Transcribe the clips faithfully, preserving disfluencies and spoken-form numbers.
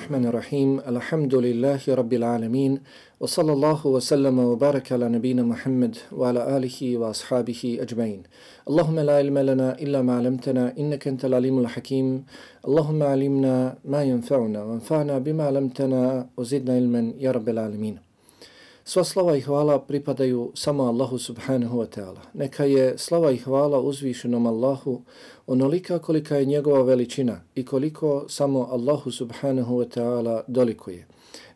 Bismillahirrahmanirrahim. Alhamdulillahi rabbil alamin. Wa sallallahu wa sallama wa baraka ala nabina Muhammad wa ala alihi wa ashabihi ajma'in. Allahumma la ilma lana illa ma 'allamtana innaka antal alimul hakim. Allahumma 'allimna ma yanfa'una wanfa'na bima 'allamtana wa zidna ilman ya rabbil alamin. Sva slava i hvala pripadaju samo Allahu subhanahu wa ta'ala. Neka je slava i hvala uzvišenom Allahu onolika kolika je njegova veličina i koliko samo Allahu subhanahu wa ta'ala dolikuje.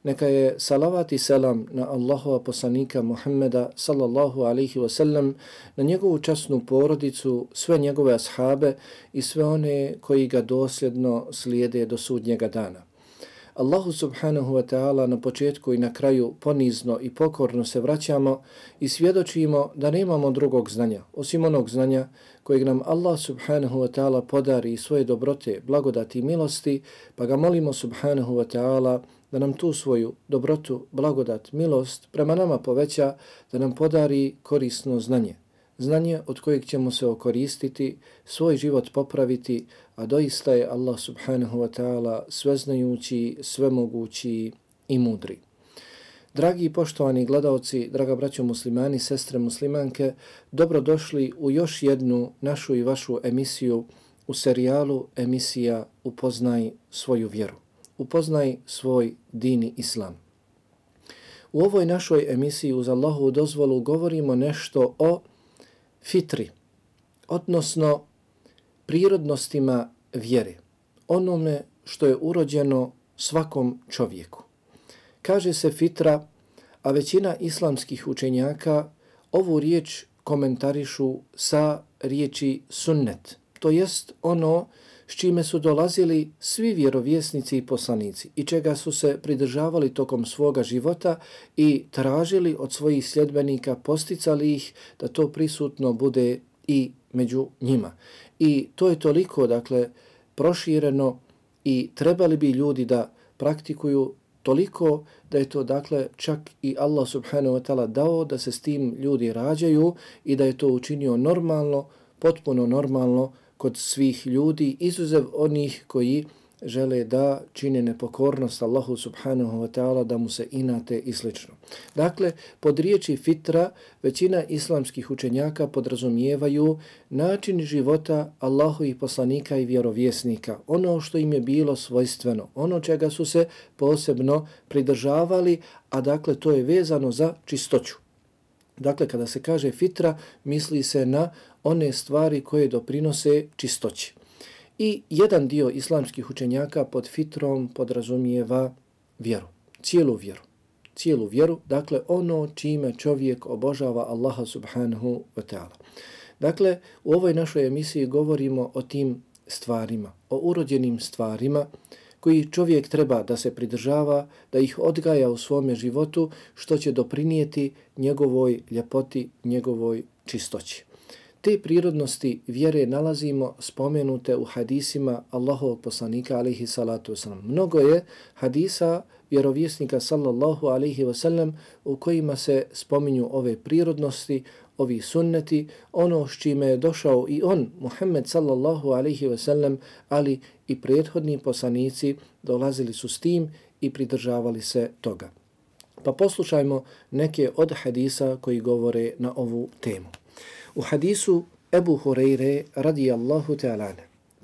Neka je salavat i selam na Allahova poslanika Muhammeda sallallahu alaihi wa sallam, na njegovu časnu porodicu, sve njegove ashabe i sve one koji ga dosljedno slijede do sudnjega dana. Allahu subhanahu wa ta'ala na početku i na kraju ponizno i pokorno se vraćamo i svjedočimo da nemamo drugog znanja, osim onog znanja kojeg nam Allah subhanahu wa ta'ala podari svoje dobrote, blagodati i milosti, pa ga molimo subhanahu wa ta'ala da nam tu svoju dobrotu, blagodat, milost prema nama poveća, da nam podari korisno znanje. Znanje od kojeg ćemo se okoristiti, svoj život popraviti, a doista je Allah subhanahu wa ta'ala sveznajući, svemogući i mudri. Dragi i poštovani gledaoci, draga braćo muslimani, sestre muslimanke, dobrodošli u još jednu našu i vašu emisiju u serijalu emisija Upoznaj svoju vjeru. Upoznaj svoj dini islam. U ovoj našoj emisiji uz Allahovu dozvolu govorimo nešto o fitri, odnosno prirodnostima vjere, onome što je urođeno svakom čovjeku. Kaže se fitra, a većina islamskih učenjaka ovu riječ komentarišu sa riječi sunnet, to jest ono s čime su dolazili svi vjerovjesnici i poslanici i čega su se pridržavali tokom svoga života i tražili od svojih sljedbenika, posticali ih da to prisutno bude i među njima. I to je toliko, dakle, prošireno i trebali bi ljudi da praktikuju toliko da je to, dakle, čak i Allah subhanahu wa ta'ala dao da se s tim ljudi rađaju i da je to učinio normalno, potpuno normalno kod svih ljudi, izuzev onih koji žele da čine nepokornost Allahu subhanahu wa ta'ala, da mu se inate i slično. Dakle, pod riječi fitra većina islamskih učenjaka podrazumijevaju način života Allahovih poslanika i vjerovjesnika, ono što im je bilo svojstveno, ono čega su se posebno pridržavali, a dakle to je vezano za čistoću. Dakle, kada se kaže fitra, misli se na one stvari koje doprinose čistoći. I jedan dio islamskih učenjaka pod fitrom podrazumijeva vjeru, cijelu vjeru. Cijelu vjeru, dakle ono čime čovjek obožava Allaha subhanahu wa ta'ala. Dakle, u ovoj našoj emisiji govorimo o tim stvarima, o urođenim stvarima koji čovjek treba da se pridržava, da ih odgaja u svome životu, što će doprinijeti njegovoj ljepoti, njegovoj čistoći. Te prirodnosti vjere nalazimo spomenute u hadisima Allahovog poslanika alejhi salatu vesselam. Mnogo je hadisa vjerovjesnika sallallahu alejhi ve sellem u kojima se spominju ove prirodnosti, ovi sunneti, ono s čime je došao i on, Muhammed sallallahu alejhi ve sellem, ali i prethodni poslanici dolazili su s tim i pridržavali se toga. Pa poslušajmo neke od hadisa koji govore na ovu temu. U hadisu Ebu Hureyre radijallahu ta'ala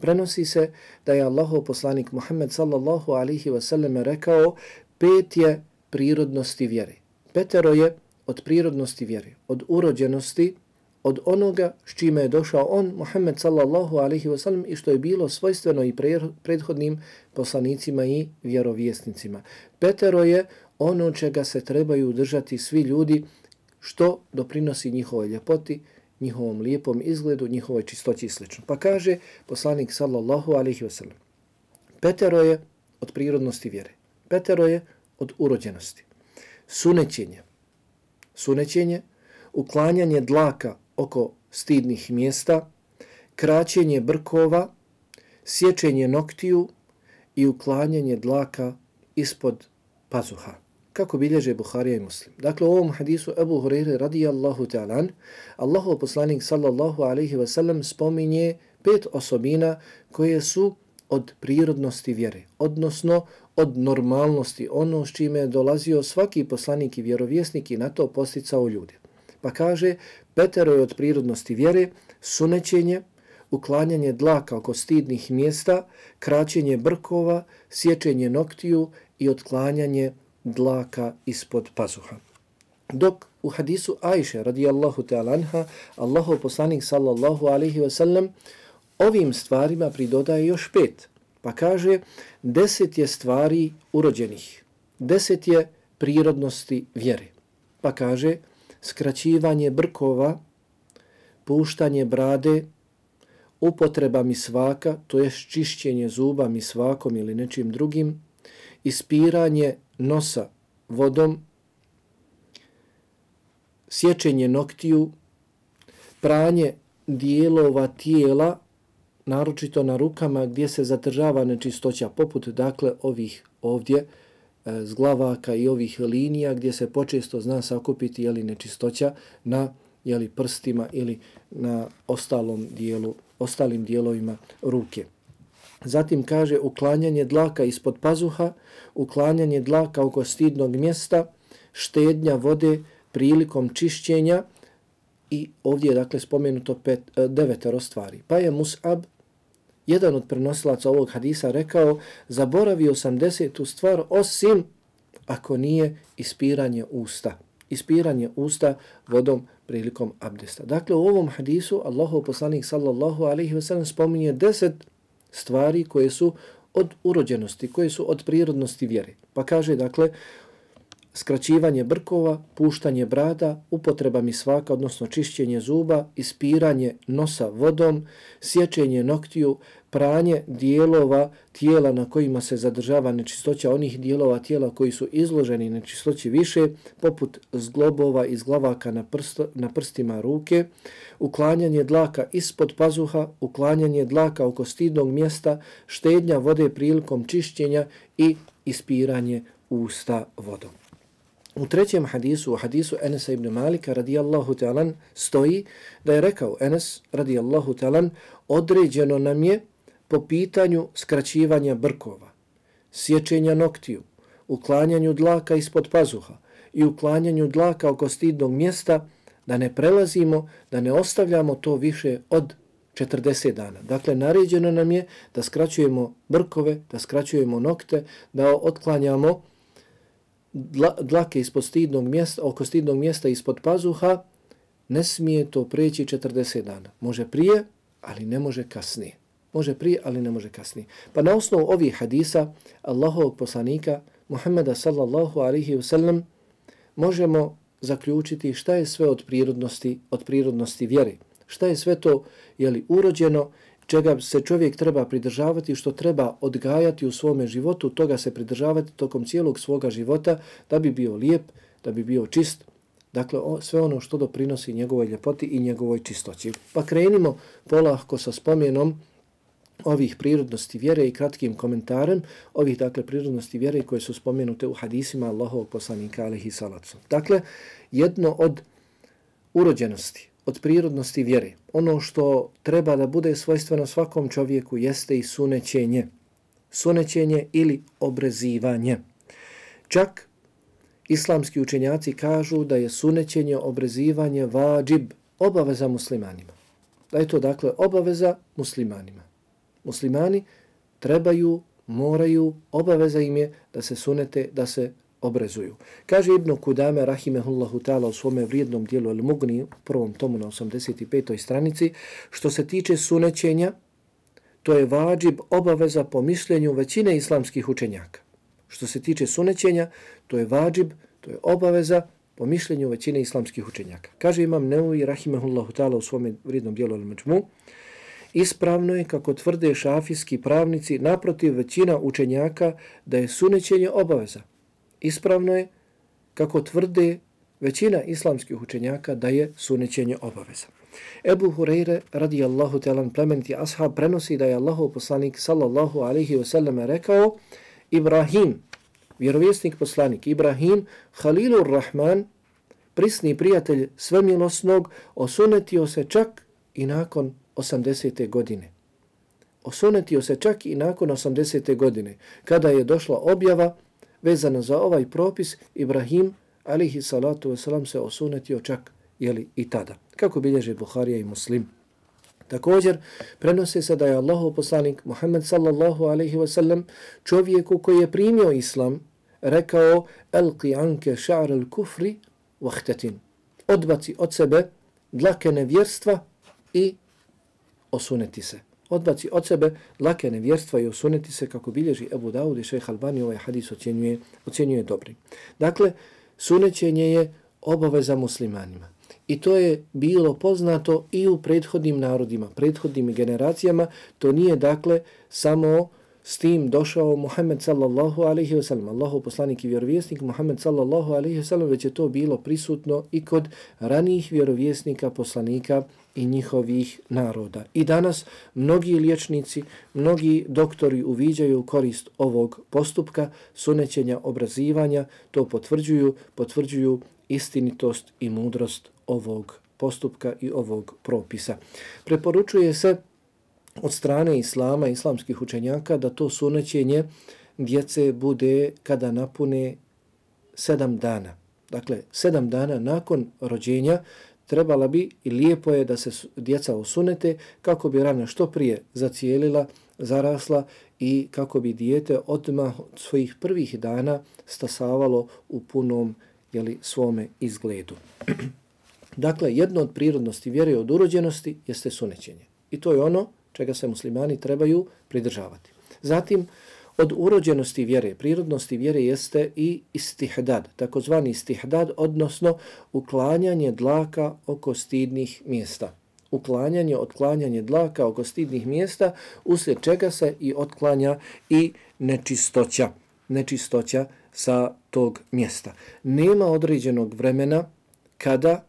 prenosi se da je Allahov poslanik Muhammed sallallahu alaihi wa sallam rekao: pet je prirodnosti vjere. Petero je od prirodnosti vjere, od urođenosti, od onoga s čime je došao on, Muhammed sallallahu alaihi wa sallam, i što je bilo svojstveno i prethodnim poslanicima i vjerovjesnicima. Petero je ono čega se trebaju držati svi ljudi, što doprinosi njihovoj ljepoti, njihovom lijepom izgledu, njihovoj čistoći i sl. Pa kaže poslanik sallallahu alaihi wa sallam, petero je od prirodnosti vjere, petero je od urođenosti. Sunećenje, sunećenje, uklanjanje dlaka oko stidnih mjesta, kraćenje brkova, sječenje noktiju i uklanjanje dlaka ispod pazuha, kako bilježe Buharija i Muslim. Dakle, u ovom hadisu Ebu Hureyre radijallahu ta'ala, Allahov poslanik sallallahu alaihi wa sallam spominje pet osobina koje su od prirodnosti vjere, odnosno od normalnosti, ono s čime je dolazio svaki poslanik i vjerovjesnik i na to posticao ljude. Pa kaže, petero je od prirodnosti vjere, sunećenje, uklanjanje dlaka oko stidnih mjesta, kraćenje brkova, sječenje noktiju i otklanjanje dlaka ispod pazuha. Dok u hadisu Ajše radijallahu ta'ala anha, Allahov poslanik sallallahu alaihi wa sallam ovim stvarima pridodaje još pet. Pa kaže, deset je stvari urođenih, deset je prirodnosti vjere. Pa kaže, skraćivanje brkova, puštanje brade, upotreba misvaka, to je čišćenje zuba misvakom ili nečim drugim, ispiranje nosa vodom, sječenje noktiju, pranje dijelova tijela, naročito na rukama gdje se zadržava nečistoća, poput dakle ovih ovdje e, zglavaka i ovih linija gdje se počesto zna sakupiti jeli, nečistoća na jeli, prstima ili na ostalom dijelu, ostalim dijelovima ruke. Zatim kaže uklanjanje dlaka ispod pazuha, uklanjanje dlaka oko stidnog mjesta, štednja vode prilikom čišćenja i ovdje je dakle spomenuto pet, devetero stvari. Pa je Mus'ab, jedan od prenosilaca ovog hadisa, rekao, zaboravio sam desetu stvar osim ako nije ispiranje usta. Ispiranje usta vodom prilikom abdesta. Dakle, u ovom hadisu Allahov poslanik sallallahu alaihi wa sallam spominje deset stvari koje su od urođenosti, koje su od prirodnosti vjere. Pa kaže, dakle, skraćivanje brkova, puštanje brada, upotreba misvaka, odnosno čišćenje zuba, ispiranje nosa vodom, sječenje noktiju, pranje dijelova tijela na kojima se zadržava nečistoća, onih dijelova tijela koji su izloženi nečistoći više, poput zglobova i zglavaka na, prst, na prstima ruke, uklanjanje dlaka ispod pazuha, uklanjanje dlaka oko stidnog mjesta, štednja vode prilikom čišćenja i ispiranje usta vodom. U trećem hadisu, u hadisu Enesa ibn Malika radijallahu ta'alan, stoji da je rekao Enes radijallahu ta'alan, određeno nam je po pitanju skraćivanja brkova, sječenja noktiju, uklanjanju dlaka ispod pazuha i uklanjanju dlaka oko stidnog mjesta, da ne prelazimo, da ne ostavljamo to više od četrdeset dana. Dakle, naređeno nam je da skraćujemo brkove, da skraćujemo nokte, da otklanjamo dlake ispod stidnog mjesta, oko stidnog mjesta ispod pazuha, ne smije to preći četrdeset dana. Može prije, ali ne može kasnije. Može prije, ali ne može kasnije. Pa na osnovu ovih hadisa Allahovog poslanika Muhammeda sallallahu alaihi wa sallam možemo zaključiti šta je sve od prirodnosti, od prirodnosti vjere. Šta je sve to jeli, urođeno, čega se čovjek treba pridržavati, što treba odgajati u svome životu, toga se pridržavati tokom cijelog svoga života da bi bio lijep, da bi bio čist. Dakle, o, sve ono što doprinosi njegovoj ljepoti i njegovoj čistoći. Pa krenimo polako sa spomenom ovih prirodnosti vjere i kratkim komentarem ovih, dakle, prirodnosti vjere koje su spomenute u hadisima Allahovog poslanika alejhi salatu. Dakle, jedno od urođenosti, od prirodnosti vjere, ono što treba da bude svojstveno svakom čovjeku jeste i sunećenje. Sunećenje ili obrezivanje. Čak islamski učenjaci kažu da je sunećenje, obrezivanje vađib, obaveza muslimanima. Da je to dakle obaveza muslimanima. Muslimani trebaju, moraju, obaveza im je da se sunete, da se obrezuju. Kaže Ibn Kudame rahimehullahu ta'ala u svome vrijednom dijelu Al-Mugni, u prvom tomu na osamdeset petoj stranici, što se tiče sunećenja, to je vađib, obaveza po mišljenju većine islamskih učenjaka. Što se tiče sunećenja, to je vađib, to je obaveza po mišljenju većine islamskih učenjaka. Kaže Imam Nevevi rahimehullahu ta'ala u svome vrijednom dijelu Al-Međmu, ispravno je, kako tvrde šafijski pravnici, naprotiv većina učenjaka, da je sunećenje obaveza. Ispravno je, kako tvrde većina islamskih učenjaka, da je sunećenje obaveza. Ebu Hureyre radijallahu ta'ala plemeniti ashab prenosi da je Allahov poslanik sallallahu alaihi wa sallam rekao, Ibrahim, vjerovjesnik poslanik Ibrahim, Halilur Rahman, prisni prijatelj svemilosnog, osunetio se čak i nakon osamdesete godine. osunetio se čak i nakon osamdesete godine, kada je došla objava vezana za ovaj propis. Ibrahim alihi salatu wasalam se osunetio čak jeli, i tada, kako bilježe Buharija i Muslim. Također, prenose se da je Allahov poslanik Muhammed sallallahu alaihi wasallam čovjeku koji je primio islam rekao: Elqi anke ša'ar al kufri vahtetin. Odbaci od sebe dlake nevjerstva i osuneti se. Odbaci od sebe dlake nevjerstva i osuneti se, kako bilježi Ebu Daud i šejh Albani ovaj hadis ocjenjuje, ocjenjuje dobri. Dakle, sunećenje je obaveza muslimanima. I to je bilo poznato i u prethodnim narodima, prethodnim generacijama. To nije dakle samo s tim došao Muhammed sallallahu alaihi wasallam, Allahov poslanik i vjerovjesnik Muhammed sallallahu alaihi wasallam, već je to bilo prisutno i kod ranijih vjerovjesnika, poslanika i njihovih naroda. I danas mnogi liječnici, mnogi doktori uviđaju korist ovog postupka sunećenja, obrazivanja, to potvrđuju, potvrđuju istinitost i mudrost ovog postupka i ovog propisa. Preporučuje se od strane islama, islamskih učenjaka, da to sunećenje djece bude kada napune sedam dana. Dakle, sedam dana nakon rođenja trebala bi i lijepo je da se djeca osunete kako bi rana što prije zacijelila, zarasla i kako bi dijete odmah od svojih prvih dana stasavalo u punom jeli, svome izgledu. Dakle, jedno od prirodnosti vjere od urođenosti jeste sunećenje. I to je ono čega se muslimani trebaju pridržavati. Zatim, od urođenosti vjere, prirodnosti vjere jeste i istihdad, takozvani istihdad, odnosno uklanjanje dlaka oko stidnih mjesta. Uklanjanje, otklanjanje dlaka oko stidnih mjesta, uslijed čega se i otklanja i nečistoća, nečistoća sa tog mjesta. Nema određenog vremena kada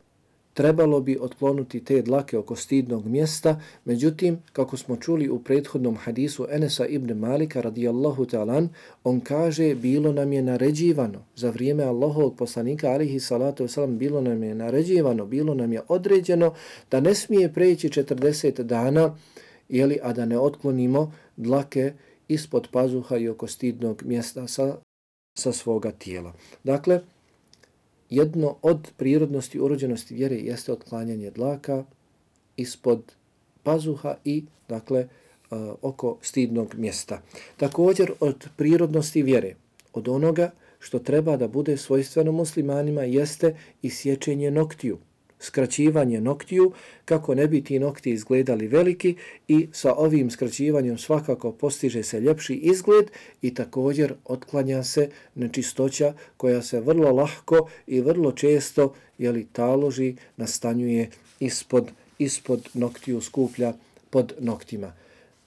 trebalo bi otklonuti te dlake oko stidnog mjesta, međutim, kako smo čuli u prethodnom hadisu Enesa ibn Malika radijallahu ta'alan, on kaže: bilo nam je naređivano za vrijeme Allahovog poslanika alihi salatu wasalam, bilo nam je naređivano, bilo nam je određeno da ne smije preći četrdeset dana, jeli, a da ne otklonimo dlake ispod pazuha i oko stidnog mjesta sa, sa svoga tijela. Dakle, jedno od prirodnosti, urođenosti vjere jeste otklanjanje dlaka ispod pazuha i, dakle, uh, oko stidnog mjesta. Također, od prirodnosti vjere, od onoga što treba da bude svojstveno muslimanima, jeste i sječenje noktiju, skraćivanje noktiju, kako ne bi ti nokti izgledali veliki, i sa ovim skraćivanjem svakako postiže se ljepši izgled i također otklanja se nečistoća koja se vrlo lahko i vrlo često jeli, taloži, nastanjuje ispod, ispod noktiju, skuplja pod noktima.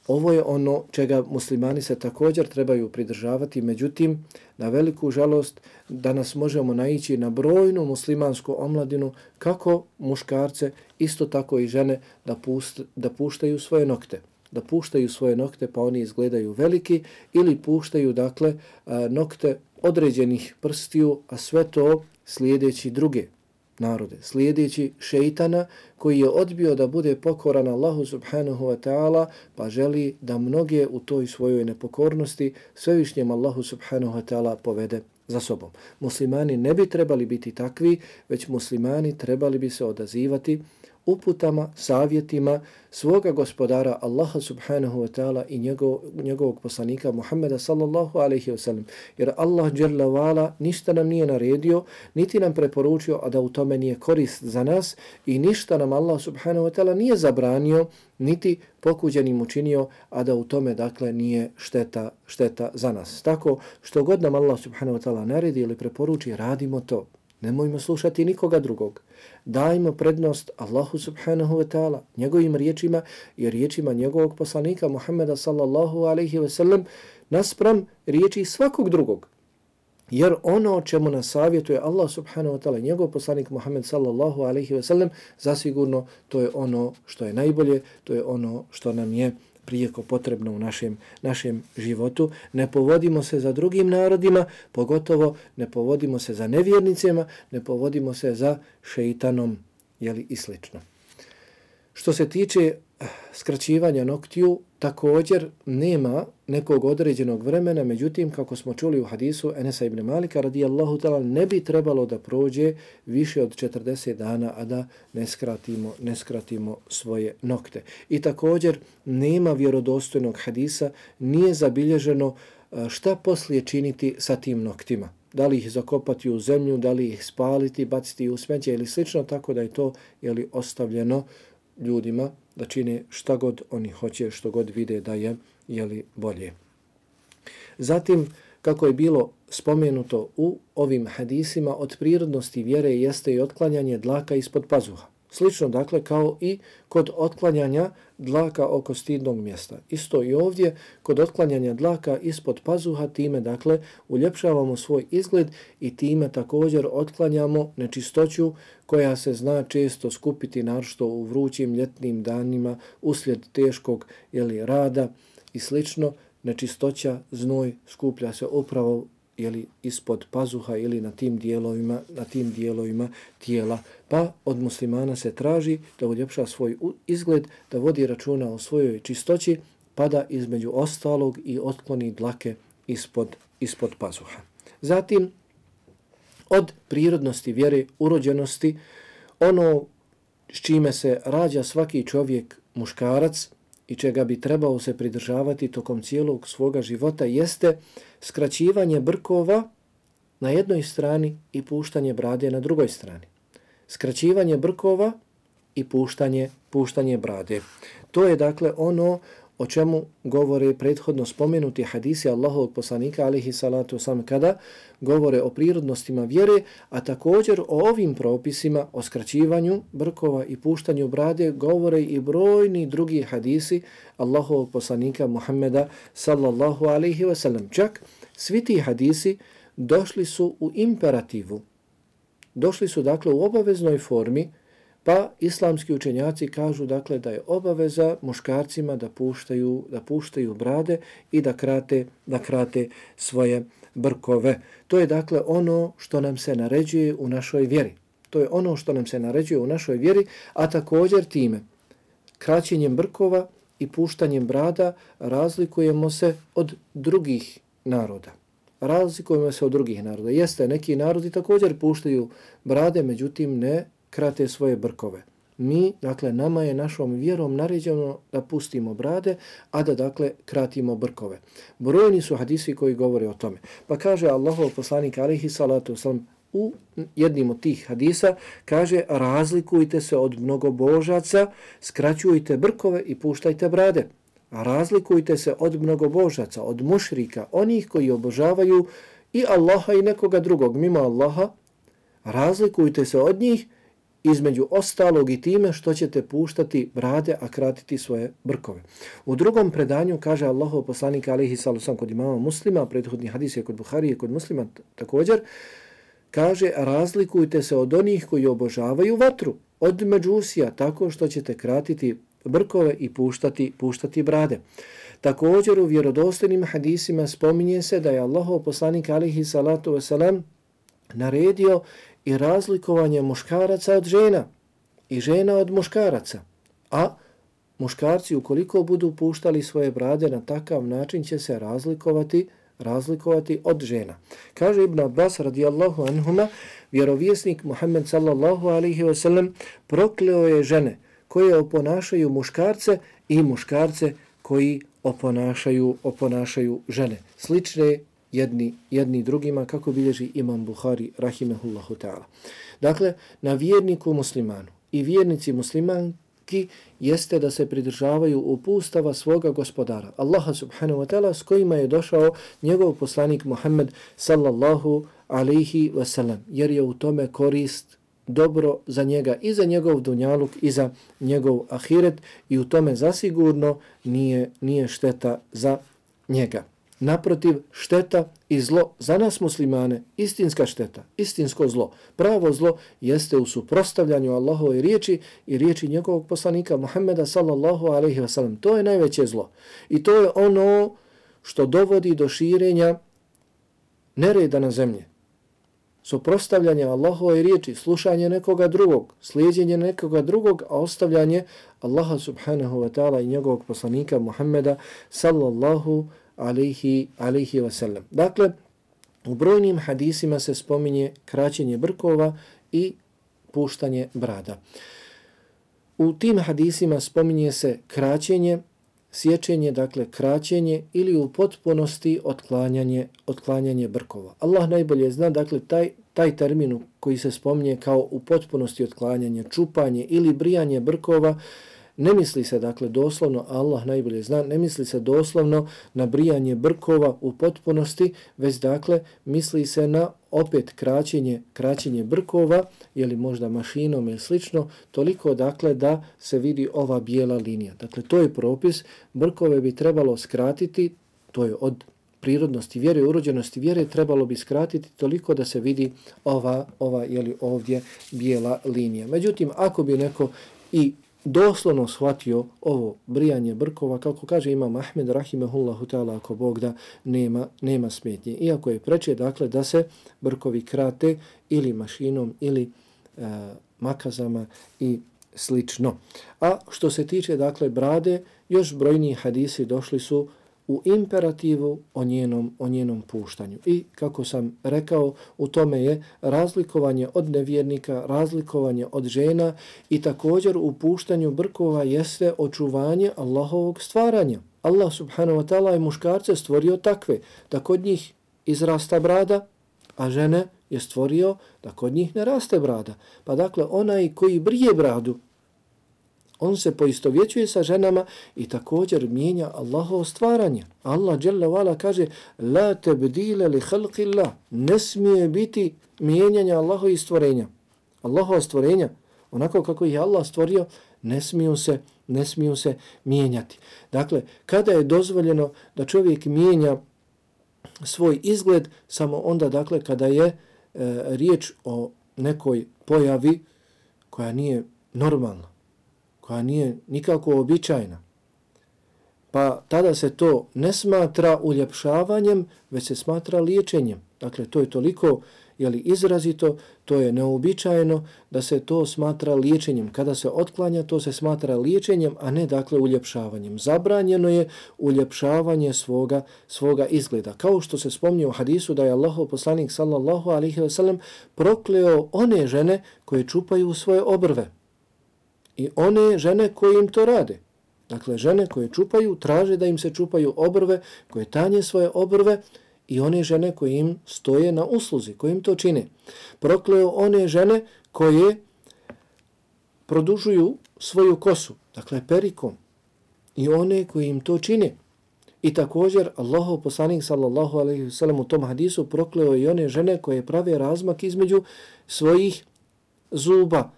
Ovo je ono čega muslimani se također trebaju pridržavati, međutim, na veliku žalost danas možemo naići na brojnu muslimansku omladinu, kako muškarce, isto tako i žene, da, pust, da puštaju svoje nokte. Da puštaju svoje nokte pa oni izgledaju veliki, ili puštaju, dakle, nokte određenih prstiju, a sve to slijedeći druge narode, slijedeći šeitana koji je odbio da bude pokoran Allahu subhanahu wa ta'ala, pa želi da mnoge u toj svojoj nepokornosti svevišnjem Allahu subhanahu wa ta'ala povede za sobom. Muslimani ne bi trebali biti takvi, već muslimani trebali bi se odazivati uputama, savjetima svoga gospodara Allaha subhanahu wa ta'ala i njegov, njegovog poslanika Muhammeda sallallahu alaihi wa sallam. Jer Allah dželle vala ništa nam nije naredio, niti nam preporučio, a da u tome nije korist za nas, i ništa nam Allah subhanahu wa ta'ala nije zabranio, niti pokuđenim učinio, a da u tome, dakle, nije šteta, šteta za nas. Tako, što god nam Allah subhanahu wa ta'ala naredi ili preporuči, radimo to. Nemojmo slušati nikoga drugog. Dajmo prednost Allahu subhanahu wa ta'ala, njegovim riječima i riječima njegovog poslanika Muhammeda sallallahu alaihi wa sallam naspram riječi svakog drugog. Jer ono o čemu nas savjetuje Allah subhanahu wa ta'ala, njegov poslanik Muhammed sallallahu alaihi wa sallam, zasigurno to je ono što je najbolje, to je ono što nam je prijeko potrebno u našem, našem životu. Ne povodimo se za drugim narodima, pogotovo ne povodimo se za nevjernicima, ne povodimo se za šeitanom, jeli, i slično. Što se tiče skraćivanja noktiju također nema nekog određenog vremena, međutim, kako smo čuli u hadisu Enesa ibn Malika radijallahu ta'ala, ne bi trebalo da prođe više od četrdeset dana, a da ne skratimo, ne skratimo svoje nokte. I također nema vjerodostojnog hadisa, nije zabilježeno šta poslije činiti sa tim noktima. Da li ih zakopati u zemlju, da li ih spaliti, baciti u smeće ili slično, tako da je to jeli, ostavljeno ljudima da čine šta god oni hoće, što god vide da je jeli, bolje. Zatim, kako je bilo spomenuto u ovim hadisima, od prirodnosti vjere jeste i otklanjanje dlaka ispod pazuha. Slično, dakle, kao i kod otklanjanja dlaka oko stidnog mjesta. Isto i ovdje, kod otklanjanja dlaka ispod pazuha, time, dakle, uljepšavamo svoj izgled i time također otklanjamo nečistoću koja se zna često skupiti, naročito u vrućim ljetnim danima, uslijed teškog jeli, rada i slično. Nečistoća, znoj skuplja se upravo jeli, ispod pazuha ili na tim dijelovima, na tim dijelovima tijela. Pa od muslimana se traži da uljepša svoj izgled, da vodi računa o svojoj čistoći, pa da između ostalog i otkloni dlake ispod, ispod pazuha. Zatim, od prirodnosti vjere, urođenosti, ono s čime se rađa svaki čovjek muškarac i čega bi trebao se pridržavati tokom cijelog svoga života jeste skraćivanje brkova na jednoj strani i puštanje brade na drugoj strani. Skraćivanje brkova i puštanje, puštanje brade. To je dakle ono o čemu govore prethodno spomenuti hadisi Allahovog poslanika alejhi salatu vesselam kada govore o prirodnostima vjere, a također o ovim propisima o skraćivanju brkova i puštanju brade govore i brojni drugi hadisi Allahovog poslanika Muhammeda sallallahu alejhi ve sellem. Čak svi ti hadisi došli su u imperativu. Došli su dakle u obaveznoj formi. Pa islamski učenjaci kažu dakle da je obaveza muškarcima da puštaju, da puštaju brade i da krate, da krate svoje brkove. To je dakle ono što nam se naređuje u našoj vjeri. To je ono što nam se naređuje u našoj vjeri, a također time kraćenjem brkova i puštanjem brada razlikujemo se od drugih naroda. Razlikujemo se od drugih naroda. Jeste, neki narodi također puštaju brade, međutim ne krate svoje brkove. Mi, dakle, nama je našom vjerom naređeno da pustimo brade, a da, dakle, kratimo brkove. Brojni su hadisi koji govore o tome. Pa kaže Allahov poslanik alejhi salatu vesselam u jednim od tih hadisa, kaže, razlikujte se od mnogobožaca, skraćujte brkove i puštajte brade. Razlikujte se od mnogobožaca, od mušrika, onih koji obožavaju i Allaha i nekoga drugog mimo Allaha. Razlikujte se od njih između ostalog i time što ćete puštati brade, a kratiti svoje brkove. U drugom predanju kaže Allahov poslanik alejhi salatu vesselam kod imama Muslima, prethodni hadis je kod Buharije, kod Muslima također, kaže razlikujte se od onih koji obožavaju vatru, od međusija, tako što ćete kratiti brkove i puštati, puštati brade. Također u vjerodostojnim hadisima spominje se da je Allahov poslanik alejhi salatu vesselam naredio i razlikovanje muškaraca od žena i žena od muškaraca. A muškarci ukoliko budu puštali svoje brade na takav način će se razlikovati razlikovati od žena. Kaže Ibn Abbas radijallahu anhuma, vjerovjesnik Muhammed sallallahu alejhi ve sellem prokleo je žene koje oponašaju muškarce i muškarce koji oponašaju oponašaju žene. Slične jedni, jedni drugima, kako bilježi imam Buhari rahimehullahu ta'ala. Dakle, na vjerniku muslimanu i vjernici muslimanki jeste da se pridržavaju upustava svoga gospodara, Allaha subhanahu wa ta'ala, s kojima je došao njegov poslanik Muhammed sallallahu alaihi wasallam, jer je u tome korist dobro za njega i za njegov dunjaluk i za njegov ahiret i u tome zasigurno nije, nije šteta za njega. Naprotiv, šteta i zlo za nas muslimane, istinska šteta, istinsko zlo, pravo zlo jeste u suprotstavljanju Allahove riječi i riječi njegovog poslanika Muhammeda sallallahu alejhi ve sellem. To je najveće zlo. I to je ono što dovodi do širenja nereda na zemlji. suprotstavljanje Allahove riječi, slušanje nekoga drugog, slijedjenje nekoga drugog, a ostavljanje Allaha subhanahu wa ta'ala i njegovog poslanika Muhammeda sallallahu alaihi, alaihi wa sallam. Dakle, u brojnim hadisima se spominje kraćenje brkova i puštanje brada. U tim hadisima spominje se kraćenje, sječenje, dakle kraćenje ili u potpunosti otklanjanje, otklanjanje brkova. Allah najbolje zna, dakle taj, taj termin koji se spominje kao u potpunosti otklanjanje, čupanje ili brijanje brkova, ne misli se dakle doslovno, Allah najbolje zna, ne misli se doslovno na brijanje brkova u potpunosti, već dakle misli se na opet kraćenje, kraćenje brkova, ili možda mašinom ili slično, toliko dakle da se vidi ova bijela linija. Dakle, to je propis, brkove bi trebalo skratiti, to je od prirodnosti vjere, urođenosti vjere, trebalo bi skratiti toliko da se vidi ova, ova jeli, ovdje bijela linija. Međutim, ako bi neko i doslovno shvatio ovo brijanje brkova, kako kaže imam Ahmed rahimehullahu ta'ala, ako Bog da, nema, nema smetnje. Iako je preče, dakle, da se brkovi krate ili mašinom ili e, makazama i slično. A što se tiče, dakle, brade, još brojni hadisi došli su u imperativu o njenom, o njenom puštanju. I kako sam rekao, u tome je razlikovanje od nevjernika, razlikovanje od žena i također u puštanju brkova jeste očuvanje Allahovog stvaranja. Allah subhanahu wa ta'ala je muškarce stvorio takve, da kod njih izrasta brada, a žene je stvorio da kod njih ne raste brada. Pa dakle, onaj koji brije bradu, on se poistovjećuje sa ženama i također mijenja Allahovo stvaranje. Allah dželle ve ala kaže la tabdila li khalqillah, ne smije biti mijenjanja Allahovih stvorenja. Allahova stvorenja, onako kako ih je Allah stvorio, ne smiju se, ne smiju se mijenjati. Dakle, kada je dozvoljeno da čovjek mijenja svoj izgled, samo onda, dakle, kada je e, riječ o nekoj pojavi koja nije normalna, koja nije nikako običajna, pa tada se to ne smatra uljepšavanjem, već se smatra liječenjem. Dakle, to je toliko jeli, izrazito, to je neobičajeno da se to smatra liječenjem. Kada se otklanja, to se smatra liječenjem, a ne dakle uljepšavanjem. Zabranjeno je uljepšavanje svoga, svoga izgleda. Kao što se spomni u hadisu da je Allahov poslanik sallallahu alejhi ve sellem prokleo one žene koje čupaju svoje obrve i one žene koje im to rade. Dakle, žene koje čupaju, traže da im se čupaju obrve, koje tanje svoje obrve, i one žene koje im stoje na usluzi, koje im to čine. Prokleo one žene koje produžuju svoju kosu, dakle perikom, i one koje im to čine. I također Allahov poslanik sallallahu alejhi ve sellem u tom hadisu prokleo i one žene koje prave razmak između svojih zuba.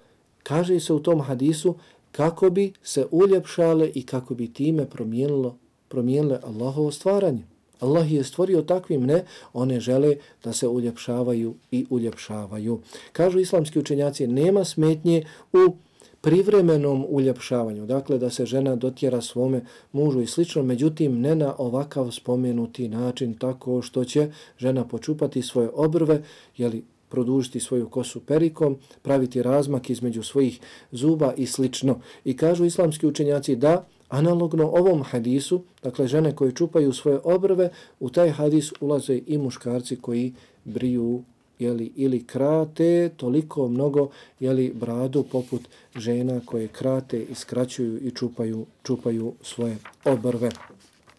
Kaže se u tom hadisu kako bi se uljepšale i kako bi time promijenilo, promijenile Allahovo stvaranje. Allah je stvorio takvim, ne, one žele da se uljepšavaju i uljepšavaju. Kažu islamski učenjaci, nema smetnje u privremenom uljepšavanju, dakle da se žena dotjera svome mužu i slično, međutim ne na ovakav spomenuti način, tako što će žena počupati svoje obrve, jeli, produžiti svoju kosu perikom, praviti razmak između svojih zuba i slično. I kažu islamski učenjaci da analogno ovom hadisu, dakle žene koje čupaju svoje obrve, u taj hadis ulaze i muškarci koji briju jeli, ili krate toliko mnogo jeli, bradu poput žena koje krate i skraćuju i čupaju, čupaju svoje obrve.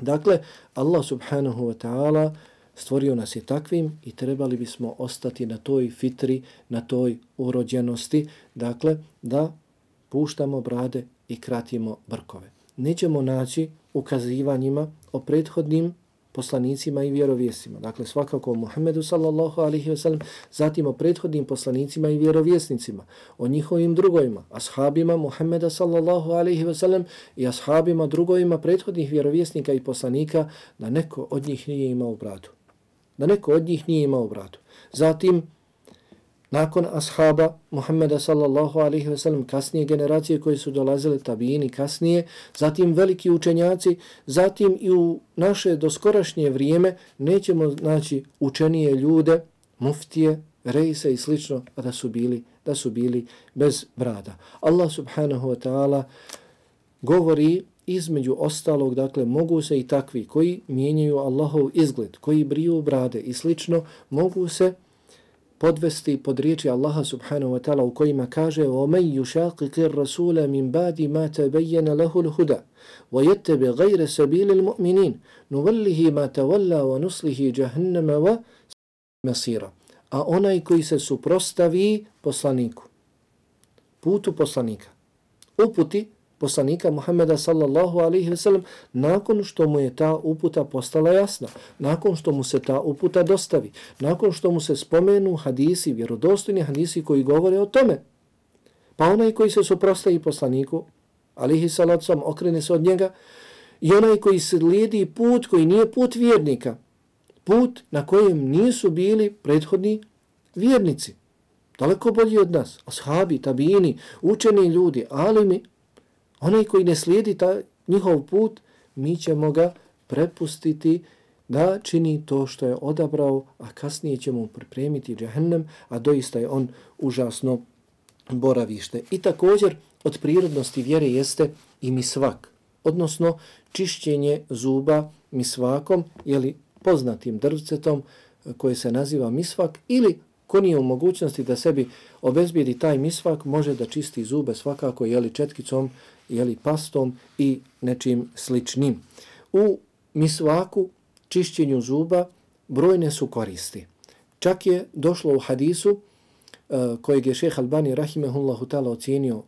Dakle, Allah subhanahu wa ta'ala stvorio nas je takvim i trebali bismo ostati na toj fitri, na toj urođenosti, dakle da puštamo brade i kratimo brkove. Nećemo naći ukazivanjima o prethodnim poslanicima i vjerovjesnicima. Dakle, svakako o Muhammedu sallallahu alejhi ve sellem, zatim o prethodnim poslanicima i vjerovjesnicima, o njihovim drugovima, ashabima Muhammeda sallallahu alejhi ve sellem i ashabima drugovima prethodnih vjerovjesnika i poslanika, da neko od njih nije imao bradu. Da neko od njih nije imao bradu. Zatim, nakon ashaba Muhammeda sallallahu alejhi ve sellem, kasnije generacije koje su dolazile, tabini kasnije, zatim veliki učenjaci, zatim i u naše doskorašnje vrijeme nećemo naći učenije ljude, muftije, rejse i slično, a da su bili, da su bili bez brada. Allah subhanahu wa ta'ala govori između ostalog, dakle, mogu se i takvi koji mijenjaju Allahov izgled, koji briju brade i slično, mogu se podvesti pod riječi Allaha subhanahu wa ta'ala u kojima kaže وَمَنْ يُشَاقِقِ الرَّسُولَ مِنْ بَعْدِ مَا تَبَيَّنَ لَهُ الْهُدَى وَيَتَّبِ غَيْرَ سَبِيلِ الْمُؤْمِنِينَ نُوَلِّهِ مَا تَوَلَّى وَنُصْلِهِ جَهَنَّمَ وَمَصِيرًا. A onaj koji se suprostavi poslaniku, putu poslanika, uputi poslanika Muhammeda sallallahu alaihi ve sellem, nakon što mu je ta uputa postala jasna, nakon što mu se ta uputa dostavi, nakon što mu se spomenu hadisi, vjerodostojni hadisi koji govore o tome. Pa onaj koji se suprostavi poslaniku, alaihi salatu sallam, okrene se od njega, i onaj koji slijedi put koji nije put vjernika, put na kojem nisu bili prethodni vjernici, daleko bolji od nas, ashabi, tabini, učeni ljudi, alimi, onaj koji ne slijedi ta njihov put, mi ćemo ga prepustiti da čini to što je odabrao, a kasnije ćemo mu pripremiti džehennem, a doista je on užasno boravište. I također od prirodnosti vjere jeste i misvak, odnosno čišćenje zuba misvakom, jeli poznatim drvcetom koje se naziva misvak, ili ko nije u mogućnosti da sebi obezbijedi taj misvak, može da čisti zube svakako jeli četkicom, jeli pastom i nečim sličnim. U misvaku, čišćenju zuba, brojne su koristi. Čak je došlo u hadisu uh, kojeg je šejh Albani rahimehullahu ta'ala ocijenio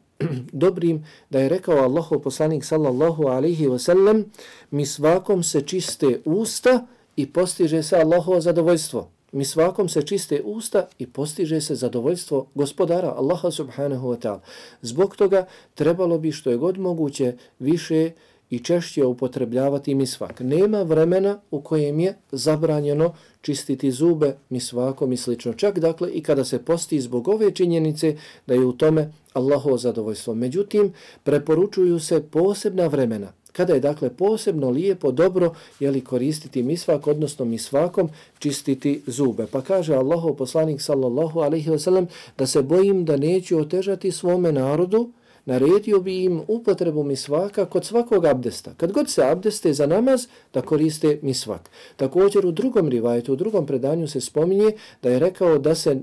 dobrim, da je rekao Allahov poslanik sallallahu alaihi wa sallam, misvakom se čiste usta i postiže se Allahovo zadovoljstvo. Misvakom se čiste usta i postiže se zadovoljstvo gospodara Allaha subhanahu wa ta'ala. Zbog toga trebalo bi što je god moguće više i češće upotrebljavati misvak. Nema vremena u kojem je zabranjeno čistiti zube misvakom i slično. Čak dakle i kada se posti zbog ove činjenice da je u tome Allahovo zadovoljstvo. Međutim, preporučuju se posebna vremena kada je dakle posebno lijepo, dobro jeli koristiti misvak, odnosno misvakom čistiti zube. Pa kaže Allahov poslanik sallallahu alaihi wa sallam da se bojim da neću otežati svome narodu, naredio bi im upotrebu misvaka kod svakog abdesta. Kad god se abdeste za namaz, da koriste misvak. Također u drugom rivajetu, u drugom predanju se spominje da je rekao da se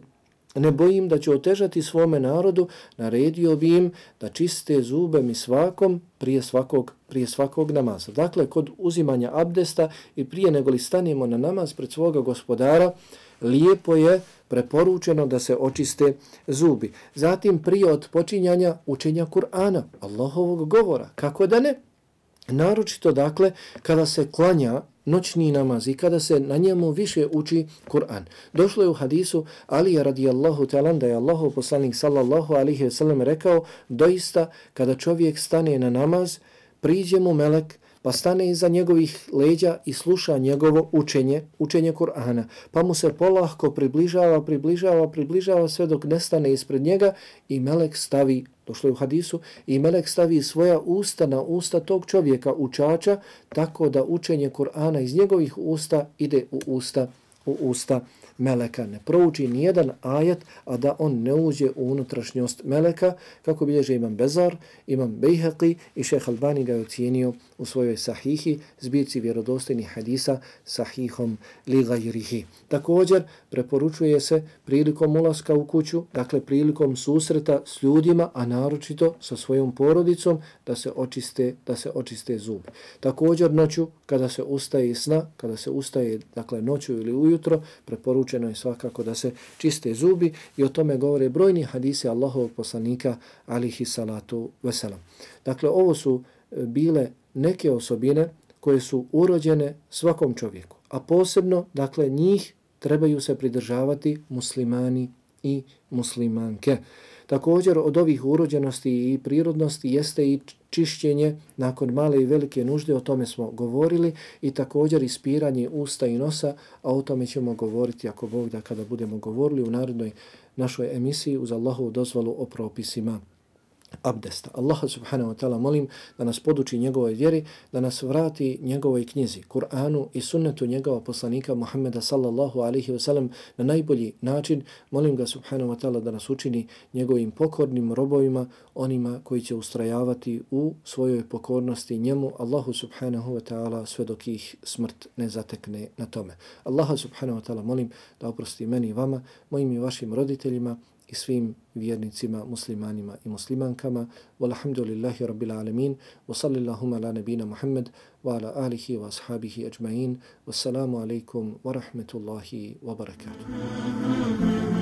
ne bojim da će otežati svome narodu, naredio bi im da čiste zube misvakom prije svakog, prije svakog namaza. Dakle, kod uzimanja abdesta i prije nego li stanemo na namaz pred svoga gospodara, lijepo je preporučeno da se očiste zubi. Zatim prije odpočinjanja učenja Kur'ana, Allahovog govora. Kako da ne? Naročito, dakle, kada se klanja noćni namaz i kada se na njemu više uči Kur'an. Došlo je u hadisu Alija radijallahu ta'ala da je Allahov poslanik sallallahu alaihi wa sallam rekao, doista kada čovjek stane na namaz, priđe mu melek, pa stane iza njegovih leđa i sluša njegovo učenje, učenje Kur'ana. Pa mu se polahko približava, približava, približava sve dok ne stane ispred njega i melek stavi, došlo je u hadisu, i melek stavi svoja usta na usta tog čovjeka, učača, tako da učenje Kur'ana iz njegovih usta ide u usta, u usta meleka. Ne prouči nijedan ajet, a da on ne uđe u unutrašnjost meleka, kako bilježe imam Bezar, imam Bejhaqi i šejh Albani ga je ocijenio u svojoj sahihi, zbirci vjerodostojnih hadisa, sahihom li gajrihi. Također, preporučuje se prilikom ulaska u kuću, dakle prilikom susreta s ljudima, a naročito sa svojom porodicom, da se očiste, da se očiste zube. Također, noću, kada se ustaje iz sna, kada se ustaje, dakle noću ili ujutro, preporučeno je svakako da se čiste zubi i o tome govore brojni hadisi Allahovog poslanika alihi salatu veselam. Dakle, ovo su bile neke osobine koje su urođene svakom čovjeku, a posebno, dakle, njih trebaju se pridržavati muslimani i muslimanke. Također, od ovih urođenosti i prirodnosti jeste i čišćenje nakon male i velike nužde, o tome smo govorili, i također ispiranje usta i nosa, a o tome ćemo govoriti, ako Bog da, kada budemo govorili u narednoj našoj emisiji uz Allahovu dozvolu o propisima abdesta. Allaha subhanahu wa ta'ala molim da nas poduči njegovoj vjeri, da nas vrati njegovoj knjizi, Kur'anu i sunnetu njegova poslanika Muhammeda sallallahu alaihi wa sallam na najbolji način. Molim ga subhanahu wa ta'ala da nas učini njegovim pokornim robovima, onima koji će ustrajavati u svojoj pokornosti njemu, Allahu subhanahu wa ta'ala, sve dok ih smrt ne zatekne na tome. Allaha subhanahu wa ta'ala molim da oprosti meni i vama, mojim i vašim roditeljima i svim vjernicima, muslimanima i muslimankama. Walhamdulillahi rabbil alamin. Wa sallillahuma ala nabina Muhammad wa ala alihi wa ashabihi ajma'in. Wassalamu alaikum wa rahmetullahi wa barakatuh.